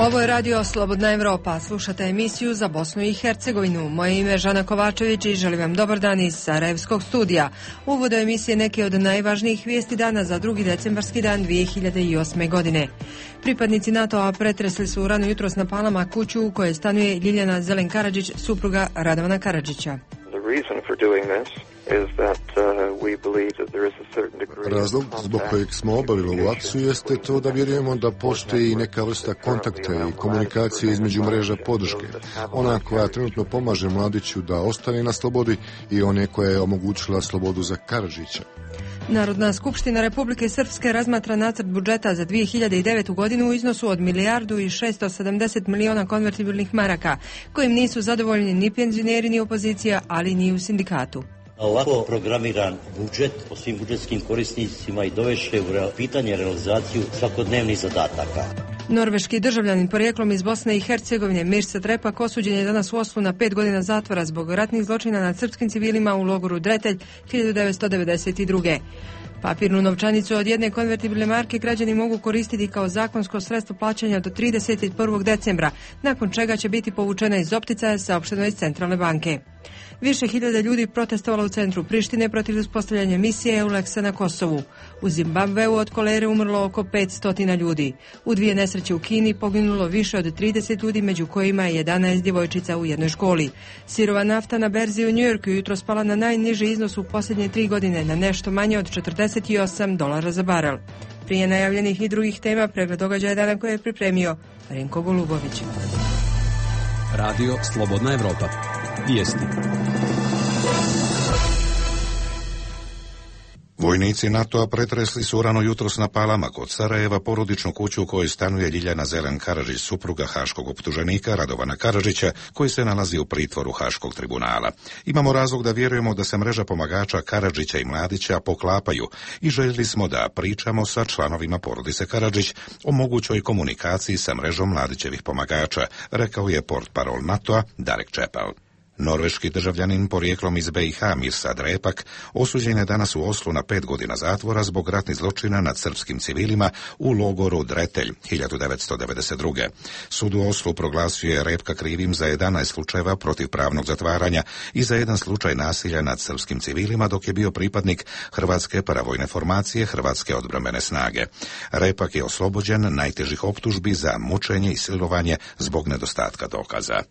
Ovo je radio Slobodna Evropa. Slušate emisiju za Bosnu i Hercegovinu. Moje ime je Žana Kovačević i želim vam dobar dan iz Sarajevskog studija. Uvod emisije neke od najvažnijih vijesti dana za 2. decembarski dan 2008. godine. Pripadnici NATO-a pretresli su rano jutros na Palama kuću u kojoj stanuje Ljiljana Zelen Karadžić, supruga Radovana Karadžića. Razlog zbog kojeg smo obavili ovu akciju jeste to da vjerujemo da postoji i neka vrsta kontakta i komunikacije između mreža podrške. Ona koja trenutno pomaže mladiću da ostane na slobodi i one koja je omogućila slobodu za Karadžića. Narodna skupština Republike Srpske razmatra nacrt budžeta za 2009. godinu u iznosu od 1.670 miliona konvertibilnih maraka, kojim nisu zadovoljni ni penzioneri ni opozicija, ali ni u sindikatu. Ovako programiran budžet po svim budžetskim korisnicima i dovešće u pitanje realizaciju svakodnevnih zadataka. Norveški državljanin porijeklom iz Bosne i Hercegovine Mirsad Repak osuđen je danas u Oslu na 5 godina zatvora zbog ratnih zločina nad srpskim civilima u logoru Dretelj 1992. Papirnu novčanicu od 1 konvertibilne marke građani mogu koristiti kao zakonsko sredstvo plaćanja do 31. decembra, nakon čega će biti povučena iz opticaja, saopšteno iz Centralne banke. Više hiljada ljudi protestovalo u centru Prištine protiv uspostavljanja misije EULEX-a na Kosovu. U Zimbabveu od kolere umrlo oko 500 ljudi. U 2 nesreće u Kini poginulo više od 30 ljudi, među kojima je 11 djevojčica u jednoj školi. Sirova nafta na berzi u Njujorku jutro spala na najniži iznos u posljednje 3 godine, na nešto manje od $48 za barel. Prije najavljenih i drugih tema, pregled događaja dana koje je pripremio Renko Golubović. Radio Slobodna Evropa. Vijesti. Vojnici NATO-a pretresli su rano jutros na Palama kod Sarajeva porodičnu kuću u kojoj stanuje Ljiljana Zelen Karadžić, supruga haškog optuženika Radovana Karadžića, koji se nalazi u pritvoru Haškog tribunala. Imamo razlog da vjerujemo da se mreža pomagača Karadžića i Mladića poklapaju i željeli smo da pričamo sa članovima porodice Karadžić o mogućoj komunikaciji sa mrežom Mladićevih pomagača, rekao je portparol NATO-a Darek Čepel. Norveški državljanin porijeklom iz BiH Mirsad Repak osuđen je danas u Oslu na 5 godina zatvora zbog ratnih zločina nad srpskim civilima u logoru Dretelj 1992. Sud u Oslu proglasio je Repka krivim za 11 slučajeva protivpravnog zatvaranja i za 1 slučaj nasilja nad srpskim civilima dok je bio pripadnik Hrvatske paravojne formacije Hrvatske odbrambene snage. Repak je oslobođen najtežih optužbi za mučenje i silovanje zbog nedostatka dokaza.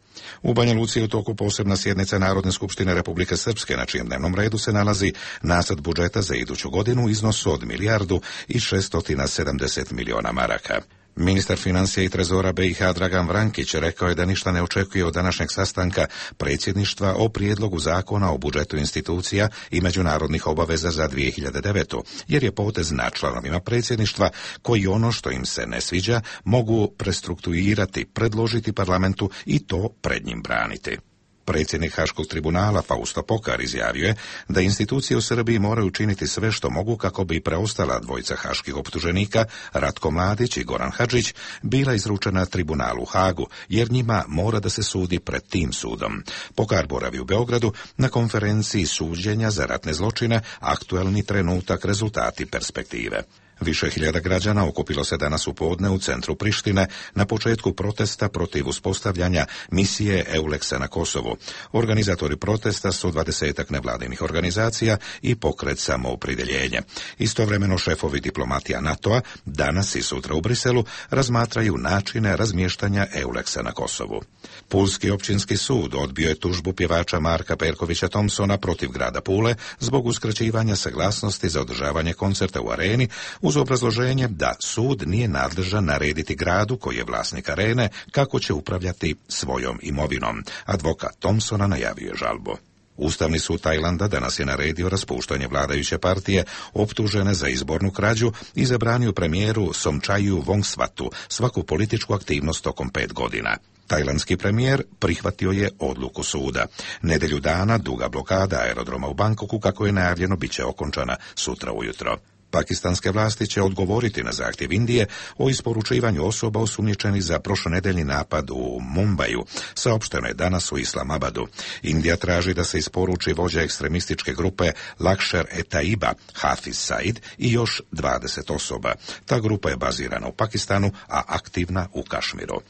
U Banja Luci je u toku posebna sjednica Narodne skupštine Republike Srpske, na čijem dnevnom redu se nalazi nacrt budžeta za iduću godinu u iznosu od 1.670 miliona maraka. Ministar financija i trezora BiH Dragan Vrankić rekao je da ništa ne očekuje od današnjeg sastanka predsjedništva o prijedlogu zakona o budžetu institucija i međunarodnih obaveza za 2009. jer je potez na članovima predsjedništva koji ono što im se ne sviđa mogu prestrukturirati, predložiti parlamentu i to pred njim braniti. Predsjednik Haškog tribunala Fausto Pokar izjavio je da institucije u Srbiji moraju učiniti sve što mogu kako bi preostala dvojica haških optuženika, Ratko Mladić i Goran Hadžić, bila izručena tribunalu u Hagu, jer njima mora da se sudi pred tim sudom. Pokar boravi u Beogradu na konferenciji suđenja za ratne zločine, aktuelni trenutak, rezultati, perspektive. Više hiljada građana okupilo se danas u podne u centru Prištine na početku protesta protiv uspostavljanja misije EULEX-a na Kosovu. Organizatori protesta su 20 nevladinih organizacija i pokret Samoopredjeljenje. Istovremeno šefovi diplomatija NATO-a danas i sutra u Briselu razmatraju načine razmještanja EULEX-a na Kosovu. Pulski općinski sud odbio je tužbu pjevača Marka Perkovića Thompsona protiv grada Pule zbog uskraćivanja saglasnosti za održavanje koncerta u areni uz obrazloženje da sud nije nadležan narediti gradu koji je vlasnik arene kako će upravljati svojom imovinom. Advokat Thompsona najavio je žalbu. Ustavni sud Tajlanda danas je naredio raspuštanje vladajuće partije optužene za izbornu krađu i zabranio premijeru Somčaju Vongsvatu svaku političku aktivnost tokom 5 godina. Tajlandski premijer prihvatio je odluku suda. Nedjelju dana duga blokada aerodroma u Bangkoku, kako je najavljeno, bit će okončana sutra ujutro. Pakistanske vlasti će odgovoriti na zahtjev Indije o isporučivanju osoba osumnjičenih za prošlonedeljni napad u Mumbaju, saopšteno je danas u Islamabadu. Indija traži da se isporuči vođa ekstremističke grupe Lakšer-e-Taiba, Hafiz Said i još 20 osoba. Ta grupa je bazirana u Pakistanu, a aktivna u Kašmiru.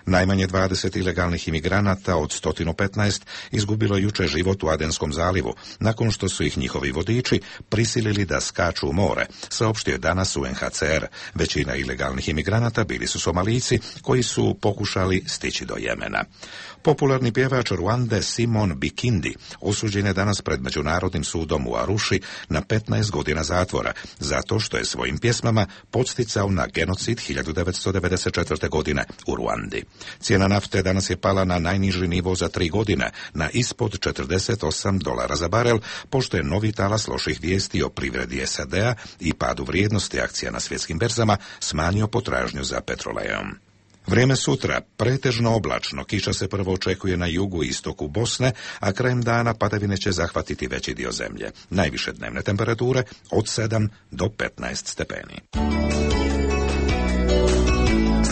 Najmanje 20 ilegalnih imigranata od 115 izgubilo jučer život u Adenskom zalivu, nakon što su ih njihovi vodiči prisilili da skaču u more, saopštio je danas UNHCR. Većina ilegalnih imigranata bili su Somalijci koji su pokušali stići do Jemena. Popularni pjevač Ruande Simon Bikindi osuđen je danas pred Međunarodnim sudom u Aruši na 15 godina zatvora, zato što je svojim pjesmama podsticao na genocid 1994. godine u Ruandi. Cijena nafte danas je pala na najniži nivo za 3 godine, na ispod $48 za barel, pošto je novi talas loših vijesti o privredi SAD-a i padu vrijednosti akcija na svjetskim berzama smanjio potražnju za petrolejom. Vrijeme sutra, pretežno oblačno, kiša se prvo očekuje na jugu i istoku Bosne, a krajem dana padavine će zahvatiti veći dio zemlje. Najviše dnevne temperature od 7 do 15 stepeni.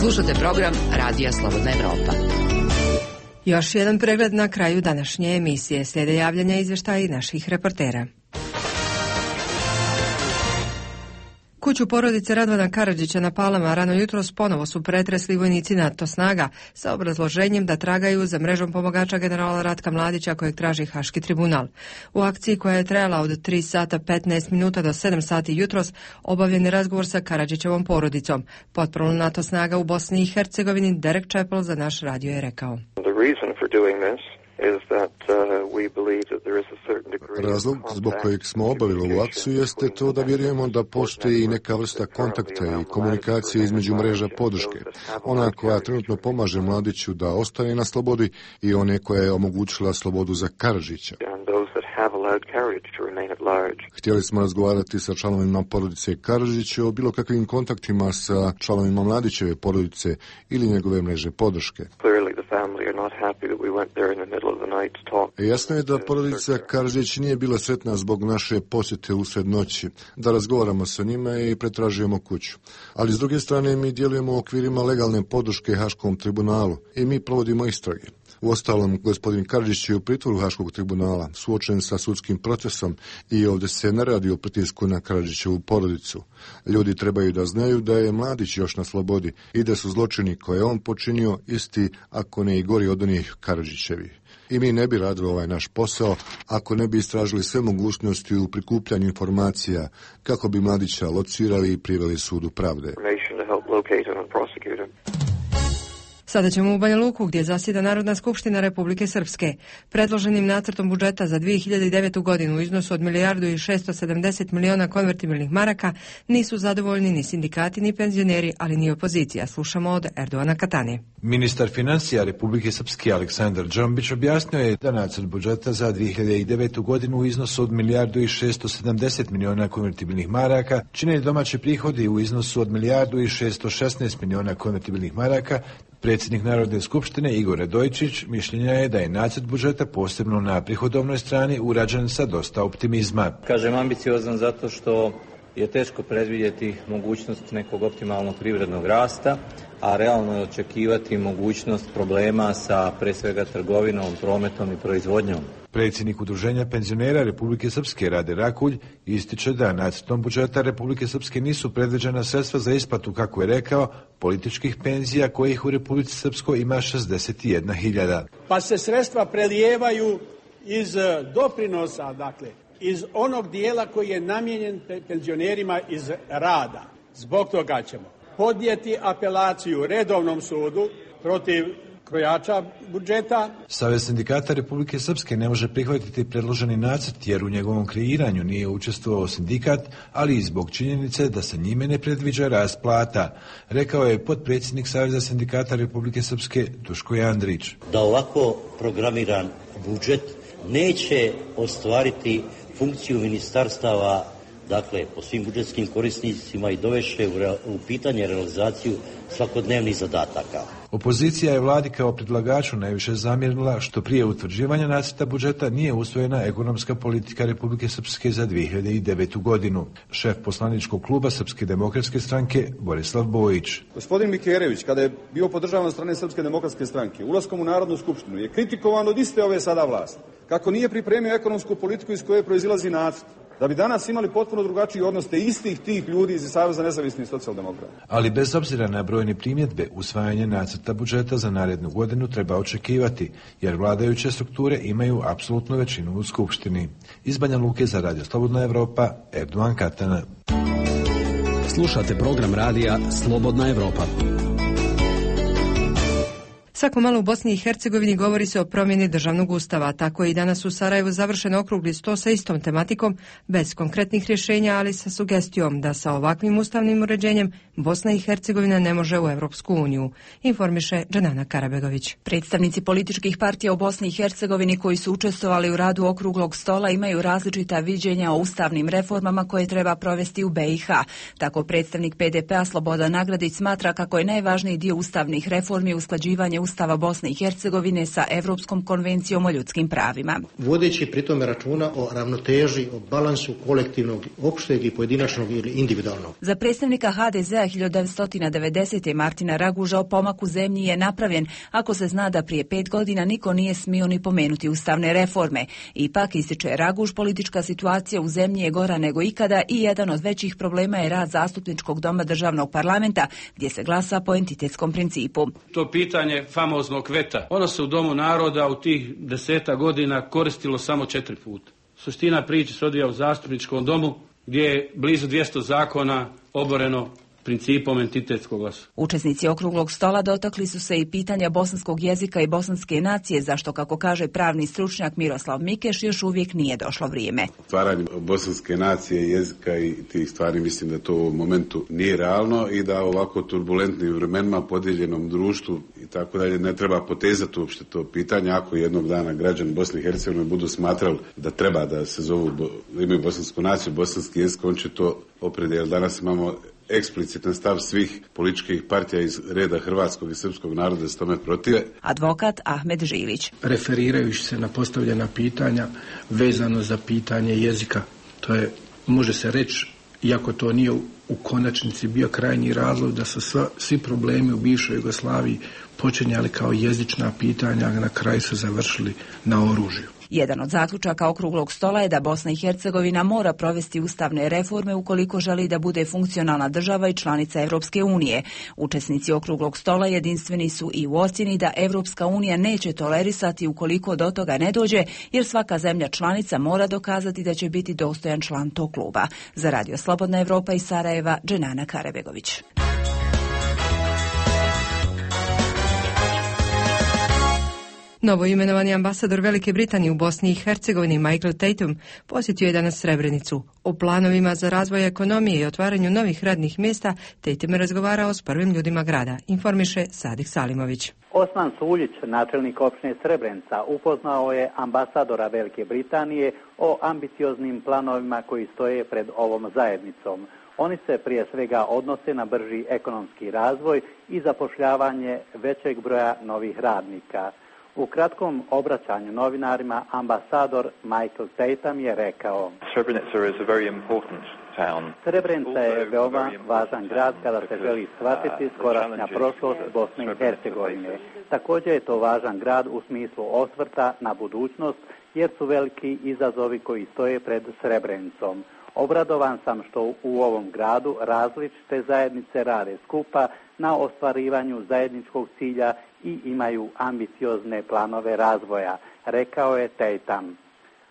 Slušate program Radija Slobodna Evropa. Još jedan pregled na kraju današnje emisije. Slijede javljanja izvještaja i naših reportera. Kuću porodice Radovana Karadžića na Palama rano jutros ponovo su pretresli vojnici NATO snaga sa obrazloženjem da tragaju za mrežom pomagača generala Ratka Mladića kojeg traži Haški tribunal. U akciji koja je trajala od 3 sata 15 minuta do 7 sati jutros obavljen je razgovor sa Karadžićevom porodicom. Potporno NATO snaga u Bosni i Hercegovini Derek Chappell za naš radio je rekao. Razlog zbog kojeg smo obavili ovu akciju jeste to da vjerujemo da postoji i neka vrsta kontakta i komunikacije između mreža podrške. Ona koja trenutno pomaže Mladiću da ostane na slobodi i one koja je omogućila slobodu za Karadžića. Htjeli smo razgovarati sa članovima porodice Karadžića o bilo kakvim kontaktima sa članovima Mladićeve porodice ili njegove mreže podrške. Jasno je da porodica Karadžić nije bila sretna zbog naše posjete usred noći, da razgovaramo sa njima i pretražujemo kuću. Ali s druge strane mi djelujemo u okvirima legalne podrške Haškom tribunalu i mi provodimo istrage. Uostalom, gospodin Karadžić je u pritvoru Haškog tribunala, suočen sa sudskim procesom i ovdje se ne radi o pritisku na Karadžićevu porodicu. Ljudi trebaju da znaju da je Mladić još na slobodi i da su zločini koje on počinio isti, ako ne i gori od onih Karadžićevih. I mi ne bi radili ovaj naš posao ako ne bi istražili sve mogućnosti u prikupljanju informacija kako bi Mladića locirali i priveli sudu pravde. Sada ćemo u Banja Luku gdje zasjeda Narodna skupština Republike Srpske. Predloženim nacrtom budžeta za 2009. godinu u iznosu od 1.670 miliona konvertibilnih maraka nisu zadovoljni ni sindikati ni penzioneri, ali ni opozicija. Slušamo od Erdovana Katane. Ministar financija Republike Srpske Aleksandar Džombić objasnio je da nacrt budžeta za 2009. godinu u iznosu od 1.670 miliona konvertibilnih maraka čine domaći prihodi u iznosu od 1.616 miliona konvertibilnih maraka. Predsjednik Narodne skupštine Igor Radojčić mišljenja je da je nacrt budžeta posebno na prihodovnoj strani urađen sa dosta optimizma. Kažem ambiciozan zato što je teško predvidjeti mogućnost nekog optimalnog privrednog rasta, a realno je očekivati mogućnost problema sa pre svega trgovinom, prometom i proizvodnjom. Predsjednik Udruženja penzionera Republike Srpske Rade Rakulj ističe da nacrtom budžeta Republike Srpske nisu predviđena sredstva za isplatu, kako je rekao, političkih penzija kojih u Republici Srpskoj ima 61.000. Pa se sredstva prelijevaju iz doprinosa, dakle, iz onog dijela koji je namijenjen penzionerima iz rada. Zbog toga ćemo podnijeti apelaciju redovnom sudu protiv krojača budžeta. Savez sindikata Republike Srpske ne može prihvatiti predloženi nacrt jer u njegovom kreiranju nije učestvovao sindikat, ali i zbog činjenice da se njime ne predviđa rast plata, rekao je potpredsjednik Saveza sindikata Republike Srpske Duško Jandrić. Da ovako programiran budžet neće ostvariti funkciju ministarstava dakle, po svim budžetskim korisnicima i dovešće u pitanje realizaciju svakodnevnih zadataka. Opozicija je vladi kao predlagaču najviše zamjerila što prije utvrđivanja nacrta budžeta nije usvojena ekonomska politika Republike Srpske za 2009. godinu. Šef poslaničkog kluba Srpske demokratske stranke Borislav Bojić. Gospodin Mikerević, kada je bio podržavan od strane Srpske demokratske stranke, ulaskom u Narodnu skupštinu, je kritikovan od iste ove sada vlasti. Kako nije pripremio ekonomsku politiku iz koje proizilazi nacrt, da bi danas imali potpuno drugačiji odnos te istih tih ljudi iz Saveza nezavisnih socijaldemokrata. Ali bez obzira na brojne primjedbe, usvajanje nacrta budžeta za narednu godinu treba očekivati, jer vladajuće strukture imaju apsolutnu većinu u Skupštini. Iz Banja Luke za Radio Slobodna Evropa, Erdogan Katana. Slušate program radija Slobodna Evropa. Svako malo u Bosni i Hercegovini govori se o promjeni državnog ustava. Tako je i danas u Sarajevu završen okrugli sto sa istom tematikom, bez konkretnih rješenja, ali sa sugestijom da sa ovakvim ustavnim uređenjem Bosna i Hercegovina ne može u Europsku uniju, informiše Dženana Karabegović. Predstavnici političkih partija u Bosni i Hercegovini koji su učestvovali u radu okruglog stola imaju različita viđenja o ustavnim reformama koje treba provesti u BiH. Tako predstavnik PDP-a Slobodan Nagradić smatra kako je najvažniji dio ustavnih reformi usklađivanje Ustava Bosne i Hercegovine sa Evropskom konvencijom o ljudskim pravima. Vodeći pritome računa o ravnoteži, o balansu kolektivnog, opšteg i pojedinačnog ili individualnog. Za predstavnika HDZ-a 1990. Martina Raguža o pomaku zemlji je napravljen ako se zna da prije 5 godina niko nije smio ni pomenuti ustavne reforme. Ipak, ističe Raguž, politička situacija u zemlji je gora nego ikada i jedan od većih problema je rad zastupničkog doma državnog parlamenta gdje se glasa po entitetskom principu. To pitanje famoznog veta, ono se u Domu naroda u tih 10 godina koristilo samo 4 puta. Suština priče se odvija u zastupničkom domu gdje je blizu 200 zakona oboreno principom entitetskog glasa. Učesnici okruglog stola dotakli su se i pitanja bosanskog jezika i bosanske nacije, zašto, kako kaže pravni stručnjak Miroslav Mikeš, još uvijek nije došlo vrijeme. Stvaranje bosanske nacije, jezika i tih stvari, mislim da to u momentu nije realno i da ovako turbulentnim vremenima, podijeljenom društvu i tako dalje, ne treba potezati uopšte to pitanje. Ako jednog dana građani Bosne i Hercegovine budu smatrali da treba da se zovu, da imaju bosansku naciju, bosanski jezik, on će to opredijeliti. Danas imamo eksplicitan stav svih političkih partija iz reda hrvatskog i srpskog naroda da se tome protive. Advokat Ahmed Žilić. Referirajući se na postavljena pitanja vezano za pitanje jezika, to je, može se reći, iako to nije u konačnici bio krajnji razlog da su svi problemi u bivšoj Jugoslaviji počinjali kao jezična pitanja, a na kraju su završili na oružju. Jedan od zaključaka okruglog stola je da Bosna i Hercegovina mora provesti ustavne reforme ukoliko želi da bude funkcionalna država i članica Evropske unije. Učesnici okruglog stola jedinstveni su i u ocjeni da Evropska unija neće tolerisati ukoliko do toga ne dođe, jer svaka zemlja članica mora dokazati da će biti dostojan član tog kluba. Za Radio Slobodna Evropa iz Sarajeva, Dženana Karabegović. Novo imenovani ambasador Velike Britanije u Bosni i Hercegovini Michael Tatum posjetio je danas Srebrenicu. O planovima za razvoj ekonomije i otvaranju novih radnih mjesta Tatum je razgovarao s prvim ljudima grada, informiše Sadik Salimović. Osman Suljić, načelnik opštine Srebrenica, upoznao je ambasadora Velike Britanije o ambicioznim planovima koji stoje pred ovom zajednicom. Oni se prije svega odnose na brži ekonomski razvoj i zapošljavanje većeg broja novih radnika. U kratkom obraćanju novinarima ambasador Michael Tatum je rekao: Srebrenica je veoma važan grad kada se želi shvatiti skorašnja prošlost Bosne i Hercegovine. Također je to važan grad u smislu osvrta na budućnost, jer su veliki izazovi koji stoje pred Srebrenicom. Obradovan sam što u ovom gradu različite zajednice rade skupa na ostvarivanju zajedničkog cilja i imaju ambiciozne planove razvoja, rekao je Tatum.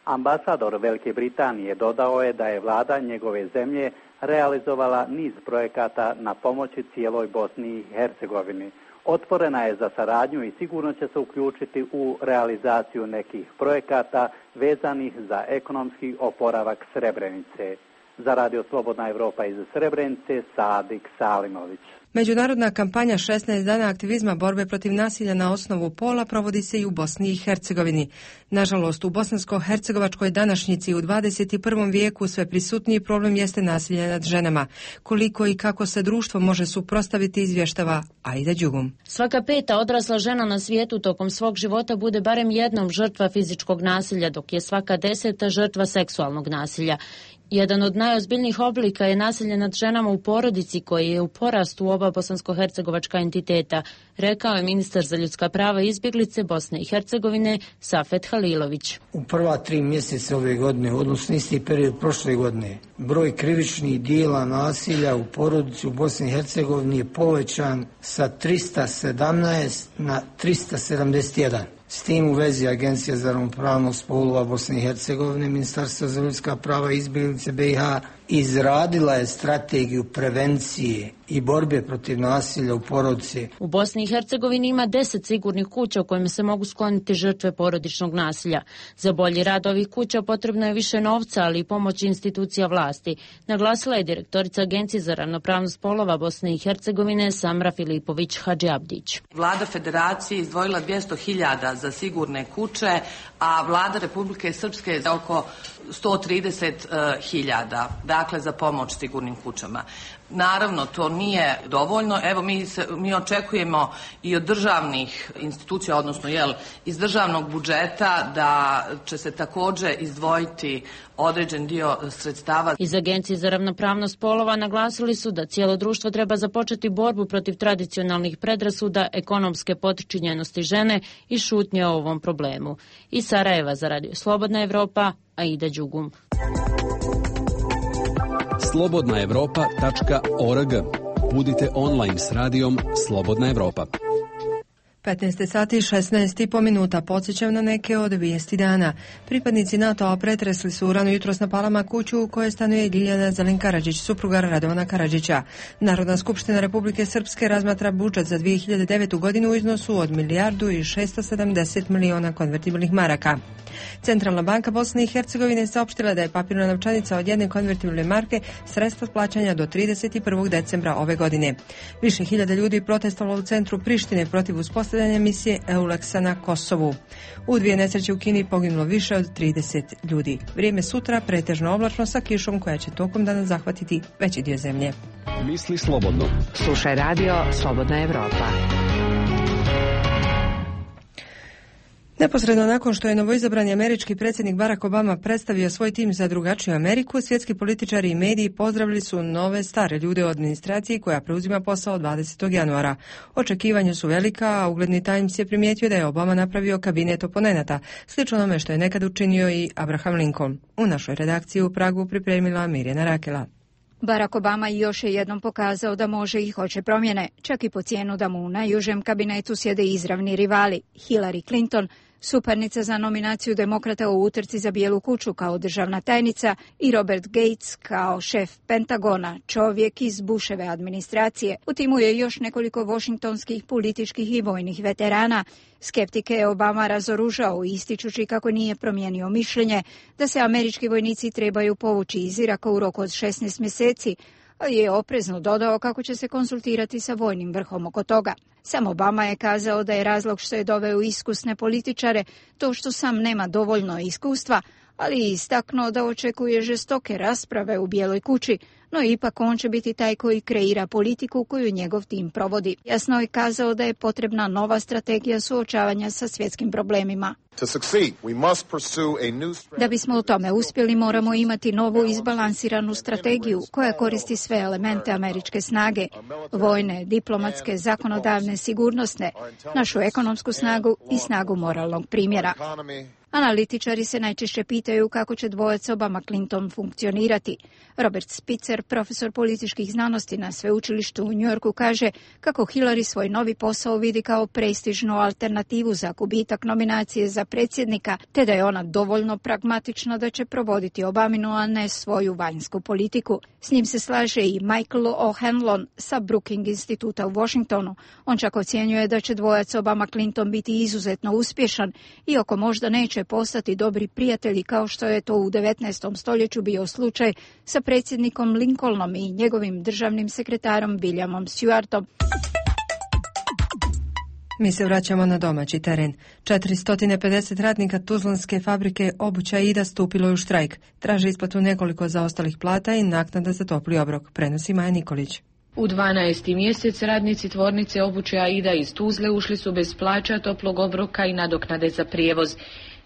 Ambasador Velike Britanije dodao je da je vlada njegove zemlje realizovala niz projekata na pomoći cijeloj Bosni i Hercegovini. Otvorena je za saradnju i sigurno će se uključiti u realizaciju nekih projekata vezanih za ekonomski oporavak Srebrenice. Za Radio Slobodna Evropa iz Srebrenice, Sadik Salimović. Međunarodna kampanja 16 dana aktivizma borbe protiv nasilja na osnovu pola provodi se i u Bosni i Hercegovini. Nažalost, u bosansko-hercegovačkoj današnjici u 21. vijeku sve prisutniji problem jeste nasilje nad ženama. Koliko i kako se društvo može suprotstaviti, izvještava Aida Đugum. Svaka 5. odrasla žena na svijetu tokom svog života bude barem jednom žrtva fizičkog nasilja, dok je svaka 10. žrtva seksualnog nasilja. Jedan od najozbiljnijih oblika je nasilje nad ženama u porodici, koji je u porastu u oba bosansko-hercegovačka entiteta, rekao je ministar za ljudska prava i izbjeglice Bosne i Hercegovine Safet Halilović. U prva 3 mjeseca ove godine, odnosno isti period prošle godine, broj krivičnih dijela nasilja u porodici u Bosni i Hercegovini je povećan sa 317 na 371. S tim u vezi Agencija za ravnopravnost spolova Bosne i Hercegovine, Ministarstvo za ljudska prava i izbjeglice BiH izradila je strategiju prevencije i borbe protiv nasilja u porodici. U Bosni i Hercegovini ima 10 sigurnih kuća u kojima se mogu skloniti žrtve porodičnog nasilja. Za bolji rad ovih kuća potrebno je više novca, ali i pomoć institucija vlasti, naglasila je direktorica Agencije za ravnopravnost spolova Bosne i Hercegovine Samra Filipović Hadžiabdić. Vlada Federacije izdvojila 200.000 za sigurne kuće, a vlada Republike Srpske za oko 130.000, dakle za pomoć sigurnim kućama. Naravno, to nije dovoljno. Evo, mi očekujemo i od državnih institucija, odnosno iz državnog budžeta, da će se također izdvojiti određen dio sredstava. Iz Agencije za ravnopravnost spolova naglasili su da cijelo društvo treba započeti borbu protiv tradicionalnih predrasuda, ekonomske potčinjenosti žene i šutnje o ovom problemu. Iz Sarajeva za Radio Slobodna Evropa, Aida Đugum. slobodnaevropa.org. Budite online s radijom Slobodna Evropa. 15 sati i 16,5 minuta. Podsjećam na neke od vijesti dana. Pripadnici NATO-a pretresli su rano jutros na Palama kuću u kojoj stanuje Ljiljana Zelin Karadžić, supruga Radovana Karadžića. Narodna skupština Republike Srpske razmatra budžet za 2009. godinu u iznosu od 1.670 miliona konvertibilnih maraka. Centralna banka Bosne i Hercegovine saopštila da je papirna novčanica od jedne konvertibilne marke sredstvo plaćanja do 31. decembra ove godine. Više hiljada ljudi protestovalo u centru Prištine protiv uspostavljanja misije EULEX-a na Kosovu. U 2 nesreće u Kini poginulo više od 30 ljudi. Vrijeme sutra pretežno oblačno sa kišom koja će tokom dana zahvatiti veći dio zemlje. Misli slobodno. Slušaj radio Slobodna Evropa. Neposredno nakon što je novoizabrani američki predsjednik Barack Obama predstavio svoj tim za drugačiju Ameriku, svjetski političari i mediji pozdravili su nove stare ljude u administraciji koja preuzima posao 20. januara. Očekivanja su velika, a ugledni Times je primijetio da je Obama napravio kabinet oponenata, slično onome što je nekad učinio i Abraham Lincoln. U našoj redakciji u Pragu pripremila Mirjana Rakela. Barack Obama još je jednom pokazao da može i hoće promjene, čak i po cijenu da mu u najužem kabinetu sjede izravni rivali Hillary Clinton, suparnica za nominaciju demokrata u utrci za Bijelu kuću kao državna tajnica, i Robert Gates kao šef Pentagona, čovjek iz Bushove administracije. U timu je još nekoliko washingtonskih političkih i vojnih veterana. Skeptike je Obama razoružao, ističući kako nije promijenio mišljenje da se američki vojnici trebaju povući iz Iraka u roku od 16 mjeseci, ali je oprezno dodao kako će se konsultirati sa vojnim vrhom oko toga. Sam Obama je kazao da je razlog što je doveo iskusne političare to što sam nema dovoljno iskustva, ali je istaknuo da očekuje žestoke rasprave u Bijeloj kući, no ipak on će biti taj koji kreira politiku koju njegov tim provodi. Jasno je kazao da je potrebna nova strategija suočavanja sa svjetskim problemima. Da bismo u tome uspjeli, moramo imati novu izbalansiranu strategiju koja koristi sve elemente američke snage, vojne, diplomatske, zakonodavne, sigurnosne, našu ekonomsku snagu i snagu moralnog primjera. Analitičari se najčešće pitaju kako će dvojac Obama-Clinton funkcionirati. Robert Spitzer, profesor političkih znanosti na sveučilištu u Njujorku, kaže kako Hillary svoj novi posao vidi kao prestižnu alternativu za gubitak nominacije za predsjednika, te da je ona dovoljno pragmatična da će provoditi Obaminu, a ne svoju vanjsku politiku. S njim se slaže i Michael O'Hanlon sa Brookings instituta u Washingtonu. On čak ocjenjuje da će dvojac Obama-Clinton biti izuzetno uspješan, iako možda neće postati dobri prijatelji kao što je to u 19. stoljeću bio slučaj sa predsjednikom Lincolnom i njegovim državnim sekretarom Williamom Stewartom. Mi se vraćamo na domaći teren. 450 radnika tuzlanske fabrike obuća Ida stupilo je u štrajk. Traže isplatu nekoliko zaostalih plata i naknada za topli obrok, prenosi Maja Nikolić. U 12. mjesec radnici tvornice obuće Aida iz Tuzle ušli su bez plaća, toplog obroka i nadoknade za prijevoz.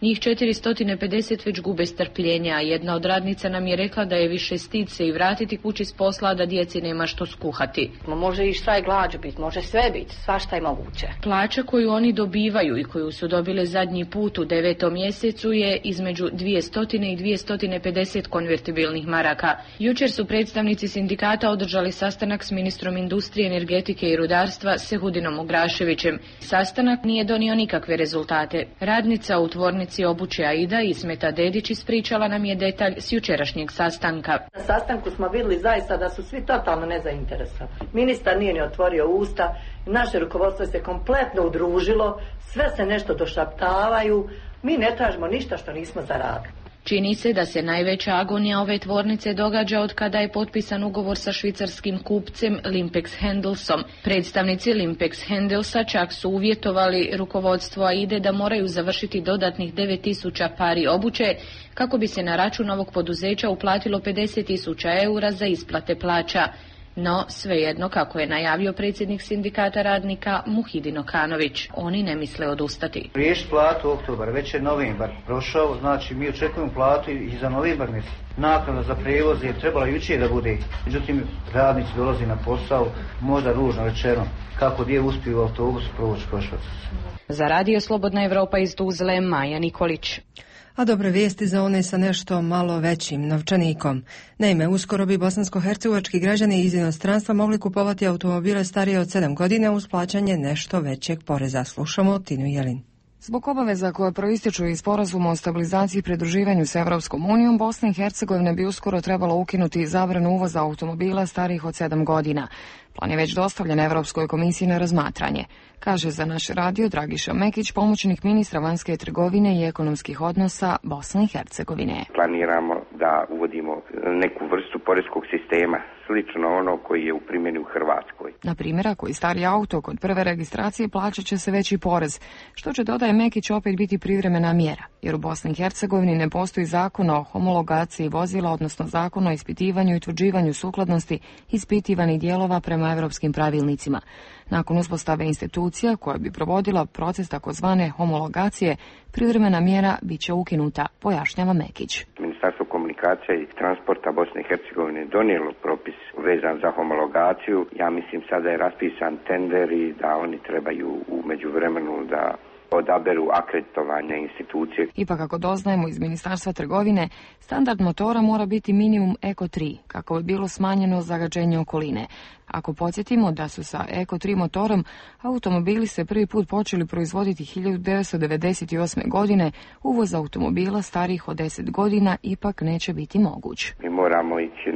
Njih 450 već gube strpljenja, a jedna od radnica nam je rekla da je više stid se i vratiti kući s posla, da djeci nema što skuhati. Može i štrajk glađu biti, može sve biti, svašta je moguće. Plaća koju oni dobivaju i koju su dobile zadnji put u 9. mjesecu je između 200 i 250 konvertibilnih maraka. Jučer su predstavnici sindikata održali sastanak s ministrom industrije, energetike i rudarstva Sehudinom Ugraševićem. Sastanak nije donio nikakve rezultate. Radnica u tvornici obuće Aida Ismeta Dedić ispričala nam je detalj s jučerašnjeg sastanka. Na sastanku smo vidjeli zaista da su svi totalno nezainteresovani. Ministar nije ni otvorio usta, naše rukovodstvo se kompletno udružilo, sve se nešto došaptavaju, mi ne tražimo ništa što nismo zaradili. Čini se da se najveća agonija ove tvornice događa od kada je potpisan ugovor sa švicarskim kupcem Limpex Hendelsom. Predstavnici Limpex Hendelsa čak su uvjetovali rukovodstvo Aide da moraju završiti dodatnih 9.000 pari obuće kako bi se na račun ovog poduzeća uplatilo 50.000 eura za isplate plaća. No, svejedno, kako je najavio predsjednik sindikata radnika Muhidin Okanović, oni ne misle odustati. Riješiti platu u oktobar, već je novembar prošao, znači mi očekujemo platu i za novembar mjesec. Naknada za prijevoz je trebala jučer da bude, međutim radnici dolazi na posao, možda ružno rečeno, kako gdje uspiju u autobusu provući Košavac. Za Radio Slobodna Evropa iz Tuzle, Maja Nikolić. A dobre vijesti za one sa nešto malo većim novčanikom. Naime, uskoro bi bosansko-hercegovački građani iz inostranstva mogli kupovati automobile starije od 7 godina uz plaćanje nešto većeg poreza. Slušamo Tinu Jelin. Zbog obaveza koje proističu iz sporazuma o stabilizaciji i pridruživanju s Evropskom unijom, Bosna i Hercegovina bi uskoro trebalo ukinuti zabranu uvoza automobila starijih od 7 godina. Plan je već dostavljen Evropskoj komisiji na razmatranje, kaže za naš radio Dragiša Mekić, pomoćnik ministra vanjske trgovine i ekonomskih odnosa Bosne i Hercegovine. Planiramo da uvodimo neku vrstu poreskog sistema, slično ono koji je u primjeni u Hrvatskoj. Na primjer, ako je stari auto kod prve registracije, plaćat će se veći porez, što će, dodaje Mekić, opet biti privremena mjera, jer u Bosni i Hercegovini ne postoji zakon o homologaciji vozila, odnosno zakon o ispitivanju i utvrđivanju sukladnosti ispitivanih dijelova prema evropskim pravilnicima. Nakon uspostave institucija koja bi provodila proces takozvane homologacije, privremena mjera bit će ukinuta, pojašnjava Mekić. Ministarstvo komunikacija i transporta Bosne i Hercegovine donijelo propis vezan za homologaciju. Ja mislim sada je raspisan tender i da oni trebaju u međuvremenu da odaberu akreditovanje institucije. Ipak, kako doznajemo iz Ministarstva trgovine, standard motora mora biti minimum Eco 3, kako bi bilo smanjeno zagađenje okoline. Ako podsjetimo da su sa Eco 3 motorom automobili se prvi put počeli proizvoditi 1998. godine, uvoz automobila starijih od 10 godina ipak neće biti moguć. Mi moramo ići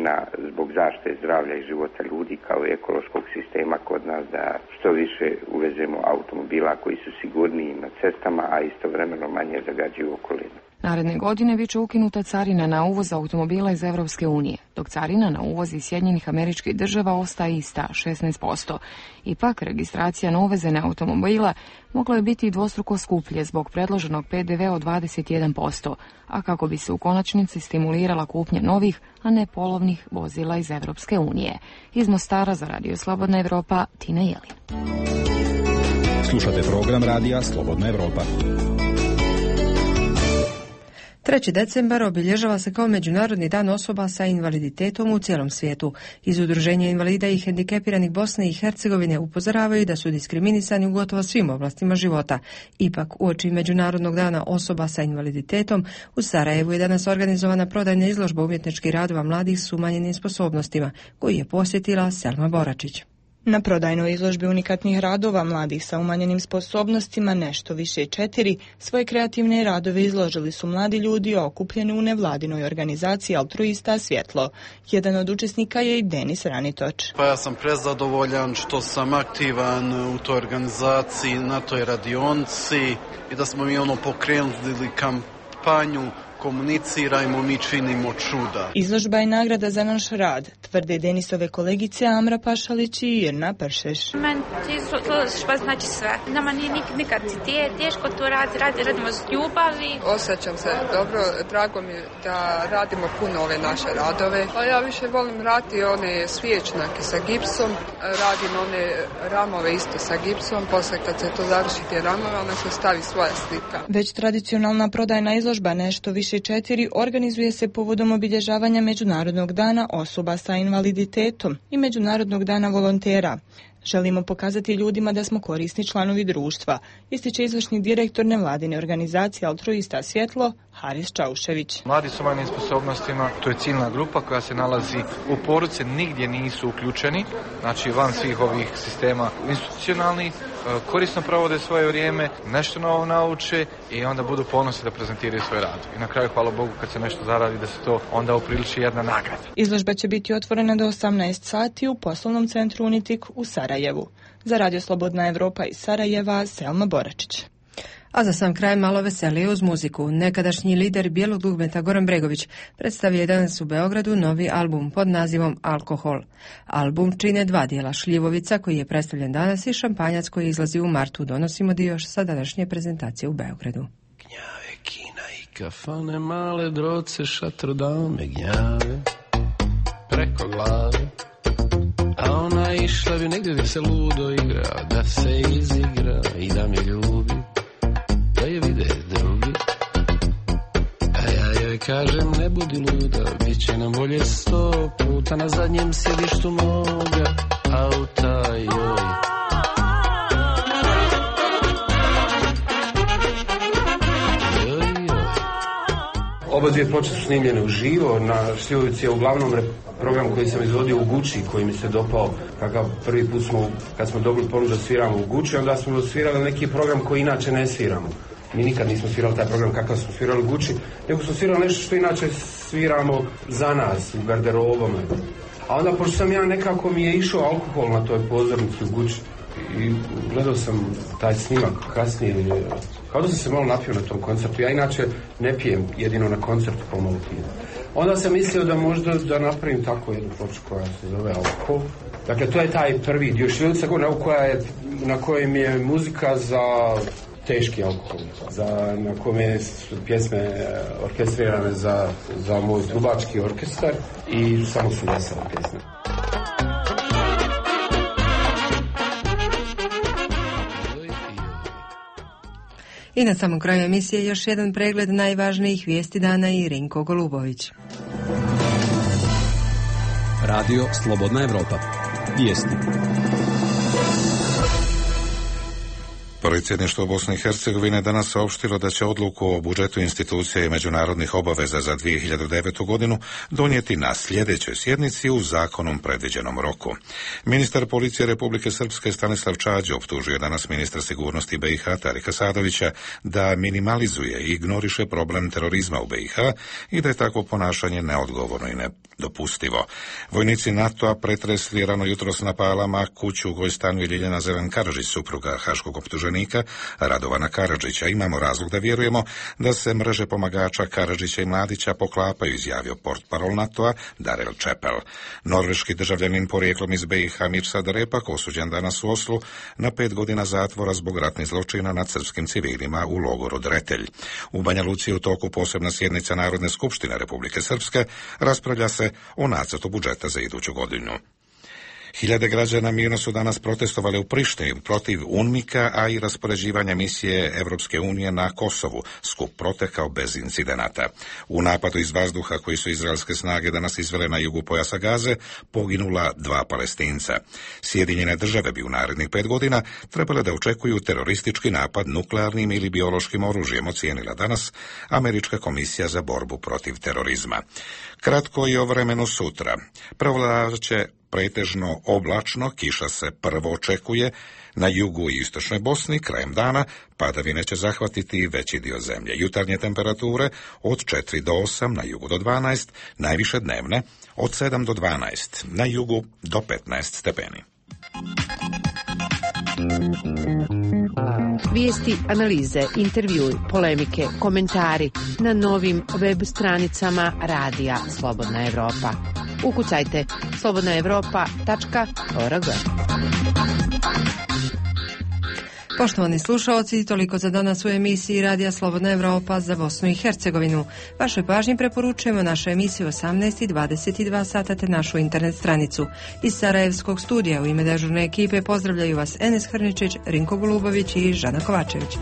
zbog zaštite zdravlja i života ljudi kao i ekološkog sistema kod nas da što više uvezemo automobila koji su sigurniji na cestama, a istovremeno manje zagađuju okolinu. Naredne godine bit će ukinuta carina na uvoz automobila iz Evropske unije, dok carina na uvoz iz Sjedinjenih Američkih Država ostaje ista, 16%. Ipak, registracija na uvezene automobila mogla je biti dvostruko skuplje zbog predloženog PDV od 21%, a kako bi se u konačnici stimulirala kupnja novih, a ne polovnih vozila iz Evropske unije. Iz Mostara za Radio Slobodna Evropa, Tina Jelin. Slušate program Radija Slobodna Evropa. 3. decembar obilježava se kao Međunarodni dan osoba sa invaliditetom u cijelom svijetu. Iz Udruženja invalida i hendikepiranih Bosne i Hercegovine upozoravaju da su diskriminisani u gotovo svim oblastima života. Ipak, uoči Međunarodnog dana osoba sa invaliditetom, u Sarajevu je danas organizovana prodajna izložba umjetničkih radova mladih s umanjenim sposobnostima, koju je posjetila Selma Boračić. Na prodajnoj izložbi unikatnih radova mladih sa umanjenim sposobnostima nešto više 4, svoje kreativne radove izložili su mladi ljudi okupljeni u nevladinoj organizaciji Altruista Svjetlo. Jedan od učesnika je i Denis Ranitoč. Pa ja sam prezadovoljan što sam aktivan u toj organizaciji, na toj radionci i da smo mi pokrenuli kampanju Komunicirajmo, mi činimo čuda. Izložba je nagrada za naš rad, tvrde Denisove kolegice Amra Pašalić i Irna Pršeš. Meni služba znači sve. Nama nije nikad teško to radimo s ljubavi. Osjećam se dobro, drago mi da radimo puno ove naše radove. A ja više volim raditi one svječnake sa gipsom, radim one ramove isto sa gipsom, posle kad se to završi te ramove, onda se stavi svoja slika. Već tradicionalna prodajna izložba Nešto više 4 organizuje se povodom obilježavanja Međunarodnog dana osoba sa invaliditetom i Međunarodnog dana volontera. Želimo pokazati ljudima da smo korisni članovi društva, ističe izvršni direktor nevladine organizacije Altruista Svjetlo, Haris Čaušević. Mladi s omanjim sposobnostima, to je ciljna grupa koja se nalazi u porodice, nigdje nisu uključeni, znači van svih ovih sistema institucionalnih, korisno provode svoje vrijeme, nešto novo nauče i onda budu ponosni da prezentiraju svoj rad. I na kraju, hvala Bogu, kad se nešto zaradi, da se to onda upriliči jedna nagrada. Izložba će biti otvorena do 18 sati u poslovnom centru Unitik u Sarajevu. Za Radio Slobodna Evropa iz Sarajeva, Selma Boračić. A za sam kraj malo veselije uz muziku. Nekadašnji lider bijelog dugmeta Goran Bregović predstavio je danas u Beogradu novi album pod nazivom Alkohol. Album čine 2 dijela, Šljivovica koji je predstavljen danas i Šampanjac koji izlazi u martu. Donosimo dio sa današnje prezentacije u Beogradu. Gnjave, kina i kafane, male droce, šatr dame, gnjave preko glave. A ona išla bi negdje gdje se ludo igra, da se izigra i da me ljubi, da je vide drugi. A ja joj kažem ne budi luda, bit će nam bolje 100 puta na zadnjem sjedištu moga auta, joj. Oba dvije ploče su snimljene uživo, na Šljivovici je uglavnom program koji sam izvodio u Guči, koji mi se dopao, kakav prvi put kad smo dobili ponudu da sviramo u Guči, onda smo svirali neki program koji inače ne sviramo. Mi nikad nismo svirali taj program kakav smo svirali u Guči, nego smo svirali nešto što inače sviramo za nas, u garderobama. A onda, pošto sam ja nekako mi je išao alkohol na toj pozornici u Guči i gledao sam taj snimak kasnije, kao da sam se malo napio na tom koncertu. Ja inače ne pijem, jedino na koncertu pomalo pijem. Onda sam mislio da možda da napravim tako jednu ploču koja se zove Alkohol. Dakle, to je taj prvi dio Šljivovica na kojem je muzika za teški alkohol, na kome su pjesme orkestrirane za moj trubački orkestar i samo su vesele pjesme. I na samom kraju emisije još jedan pregled najvažnijih vijesti dana i Rinko Golubović. Radio Slobodna Evropa. Vijesti. Predsjedništvo Bosne i Hercegovine danas saopštilo da će odluku o budžetu institucija i međunarodnih obaveza za 2009. godinu donijeti na sljedećoj sjednici u zakonom predviđenom roku. Ministar policije Republike Srpske Stanislav Čađo optužio danas ministra sigurnosti BiH Tarika Sadovića da minimalizuje i ignoriše problem terorizma u BiH i da je takvo ponašanje neodgovorno i nedopustivo. Vojnici NATO-a pretresli rano jutros na Palama kuću u kojoj stanuje Ljiljana Zelen Karadžić, supruga haškog optuženika Radovana Karadžića. Imamo razlog da vjerujemo da se mreže pomagača Karadžića i Mladića poklapaju, izjavio portparol NATO-a Darrell Chappell. Norveški državljanin porijeklom iz BiH Mirsad Repak osuđen danas u Oslu na 5 godina zatvora zbog ratnih zločina nad srpskim civilima u logoru Dretelj. U Banja Luci u toku posebna sjednica Narodne skupštine Republike Srpske raspravlja se o nacrtu budžeta za iduću godinu. Hiljade građana mirno su danas protestovali u Prištini protiv UNMIK-a, a i raspoređivanja misije Evropske unije na Kosovu. Skup protekao bez incidenata. U napadu iz vazduha koji su izraelske snage danas izvele na jugu pojasa Gaze poginula 2 Palestinca. Sjedinjene države bi u narednih 5 godina trebale da očekuju teroristički napad nuklearnim ili biološkim oružjem, ocijenila danas Američka komisija za borbu protiv terorizma. Kratko i o vremenu sutra. Prevladavat će pretežno oblačno, kiša se prvo očekuje na jugu i istočnoj Bosni, krajem dana padavine će zahvatiti i veći dio zemlje. Jutarnje temperature od 4 do 8, na jugu do 12, najviše dnevne od 7 do 12, na jugu do 15 stepeni. Vijesti, analize, intervjui, polemike, komentari na novim web stranicama Radija Slobodna Evropa. Ukucajte slobodnaevropa.org. Poštovani slušalci, toliko za danas u emisiji Radija Slobodna Evropa za Bosnu i Hercegovinu. Vašoj pažnji preporučujemo naše emisije 18 i 22 sata te našu internet stranicu. Iz Sarajevskog studija u ime dežurne ekipe pozdravljaju vas Enes Hrničić, Rinko Golubović i Žana Kovačević.